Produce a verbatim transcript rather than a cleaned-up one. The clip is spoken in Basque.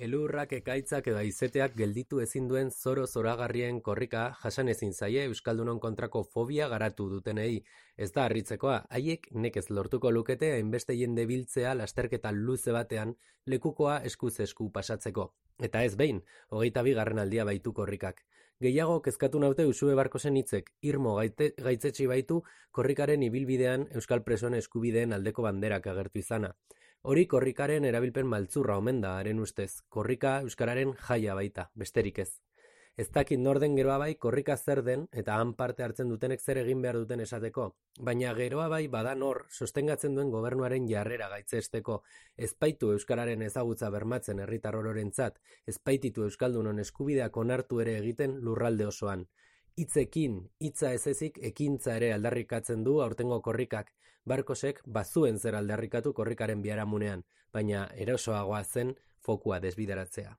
Elurrak, ekaitzak edo haizeteak gelditu ezin duen zoro zoragarrien korrika jasan ezin zaie euskaldunon kontrako fobia garatu dutenei. Ez da harritzekoa, haiek nekez lortuko lukete hainbeste jende biltzea lasterketa luze batean lekukoa eskuz esku pasatzeko. Eta ez behin, hogeita bigarren aldia baitu korrikak. Gehiago kezkatu naute Usue Barkosen hitzek, irmo gaite, gaitzetsi baitu korrikaren ibilbidean euskal presoen eskubideen aldeko banderak agertu izana. Hori korrikaren erabilpen maltzurra omen da, haren ustez. Korrika euskararen jaia baita, besterik ez. Ez dakit norden geroa bai korrika zer den eta han parte hartzen dutenek zer egin behar duten esateko. Baina geroa bai badan hor sostengatzen duen gobernuaren jarrera gaitzesteko. Ezpaitu euskararen ezagutza bermatzen herritar ororentzat, ezpaititu euskaldunon eskubideak onartu ere egiten lurralde osoan. Hitzekin, hitza ez ezik ekintza ere aldarrikatzen du aurtengo korrikak. Barkosek bazuen zer aldarrikatu korrikaren biharamunean, baina erosoagoa zen fokua desbideratzea.